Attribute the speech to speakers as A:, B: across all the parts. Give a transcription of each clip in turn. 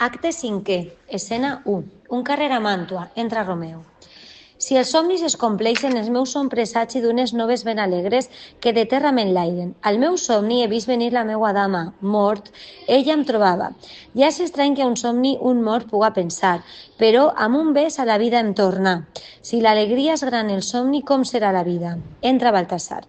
A: Acte cinquè, escena 1. Un carrer a Màntua, entra Romeo. Si els somnis es compleixen, els meus són presagi d'unes noves ben alegres que de terra m'enlairen. Al meu somni he vist venir la meua dama, mort, ella em trobava. Ja és estrany que a un somni un mort puga pensar, però amb un bes a la vida em torna. Si l'alegria és gran el somni, com serà la vida? Entra Baltasar.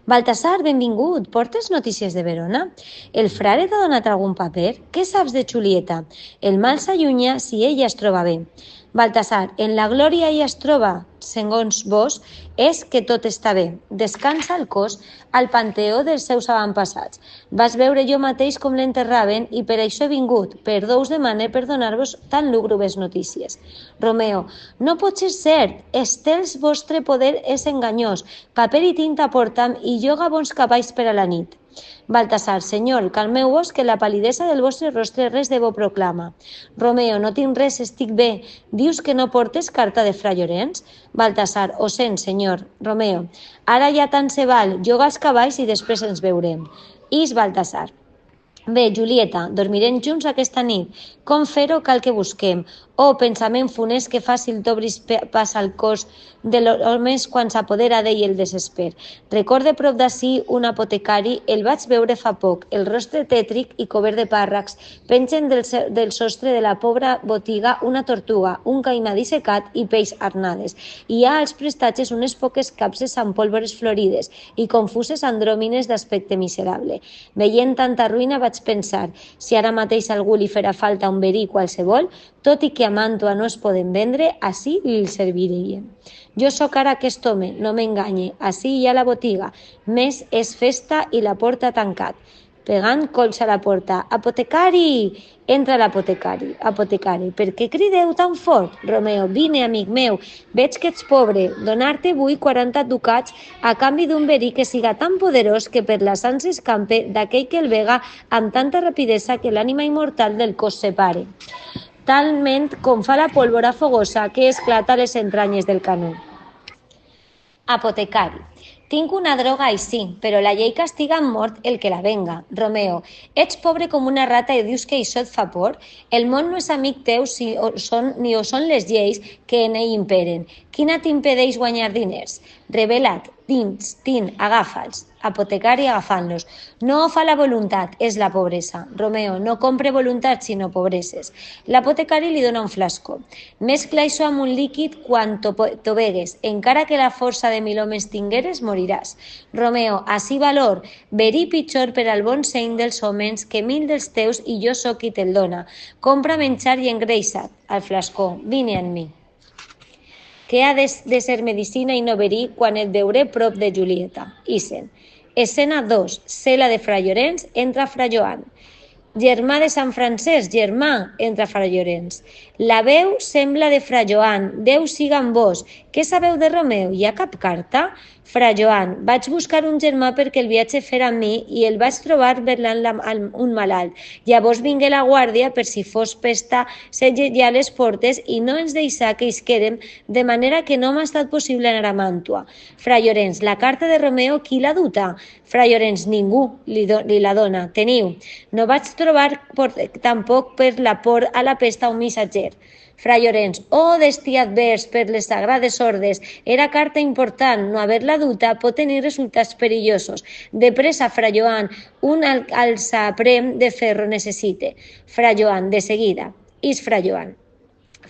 A: Baltasar, benvingut, portes notícies de Verona? El frare t'ha donat algun paper? Què saps de Julieta? El mal s'allunya si ella es troba bé. Baltasar, en la glòria ella es troba, segons vos, és que tot està bé. Descansa el cos al panteó dels seus avantpassats. Vas veure jo mateix com l'enterraven i per això he vingut. Perdó us demane per donar-vos tan lúgubres notícies. Romeo, no pot ser cert. Estels vostre poder és enganyós. Paper i tinta portam i lloga bons cavalls per a la nit. Baltasar, senyor, calmeu-vos que la palidesa del vostre rostre res de bo proclama. Romeo, no tinc res, estic bé. Dius que no portes carta de Fra Llorenç? Baltasar, ho sent, senyor. Romeo, ara ja tant se val, lloga els cavalls i després ens veurem. Is Baltasar. Bé, Julieta, dormirem junts aquesta nit. Com fer-ho cal que busquem. Oh, pensament funest que fàcil t'obris pas al cos de l'homes quan s'apodera d'ell el desesper. Recorde prop d'ací un apotecari, el vaig veure fa poc, el rostre tètric i cobert de pàrracs. Pengen del sostre de la pobra botiga una tortuga, un caimà dissecat i peix arnades. Hi ha als prestatges unes poques capses amb pólvores florides i confuses andròmines d'aspecte miserable. Veient tanta ruïna vaig pensar, si ara mateix algú li farà falta un verí qualsevol, tot i que a Màntua no es poden vendre, ací li serviria. Jo sóc ara aquest home, no m'enganye, ací hi ha la botiga, més és festa i la porta tancat. Pegant colps a la porta, apotecari! Entra l'apotecari. Apotecari, per què crideu tan fort? Romeo, vine, amic meu, veig que ets pobre, donar-te vull 40 ducats a canvi d'un verí que siga tan poderós que per la sang s'escampe d'aquell que el vega amb tanta rapidesa que l'ànima immortal del cos separe. Talment com fa la pólvora fogosa que esclata les entranyes del canó. Apotecari. Tinc una droga així, però la llei castiga amb mort el que la venga. Romeo, ets pobre com una rata i dius que això et fa por? El món no és amic teu ni ho són les lleis que en ell imperen. Quina t'impedeix guanyar diners? Revela't, agafa'ls. Apotecari agafant-los. No fa la voluntat, és la pobresa. Romeo, no compre voluntat sinó pobreses. L'apotecari li dona un flascó. Mescla això amb un líquid quan t'ho begues. Encara que la força de 1000 homes tingueres, moriràs. Romeo, ací valor. Verí pitjor per al bon seny dels homes que 1000 dels teus i jo sóc qui te'l dona. Compra menjar i engreixa't. Al flascó, vine amb mi. Que ha de ser medicina i no verí quan et veuré prop de Julieta. Isen. Escena 2. Cela de Fra Llorenç, entra Fra Joan. Germà de Sant Francesc, germà, entra Fra Llorenç. La veu sembla de Fra Joan, Déu siga amb vos. Què sabeu de Romeu? Hi ha cap carta? Fra Joan, vaig buscar un germà perquè el viatge fer amb mi i el vaig trobar verlant un malalt. Llavors vingué la guàrdia per si fos pesta ja les portes i no ens deixà que isquérem, de manera que no m'ha estat possible anar a Màntua. Fra Llorenç, la carta de Romeu, qui l'ha duta? Fra Llorenç, ningú li la dona. Teniu. No vaig trobar tampoc per la por a la pesta un missatger. Fra Llorenç, oh destí advers per les sagrades ordes, era carta important, no haver-la duta pot tenir resultats perillosos. De pressa, Fra Joan, un alçaprem de ferro necessite. Fra Joan, de seguida. Is Fra Joan.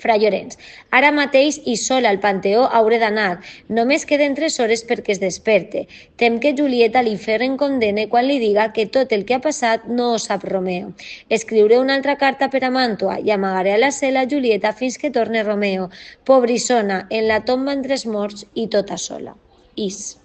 A: Fra Llorenç, ara mateix i sol al panteó hauré d'anar. Només queden 3 hores perquè es desperte. Tem que Julieta l'infern condene quan li diga que tot el que ha passat no ho sap Romeo. Escriuré una altra carta per a Màntua i amagaré a la cel·la Julieta fins que torne Romeo. Pobrissona, en la tomba entre els morts i tota sola. Is.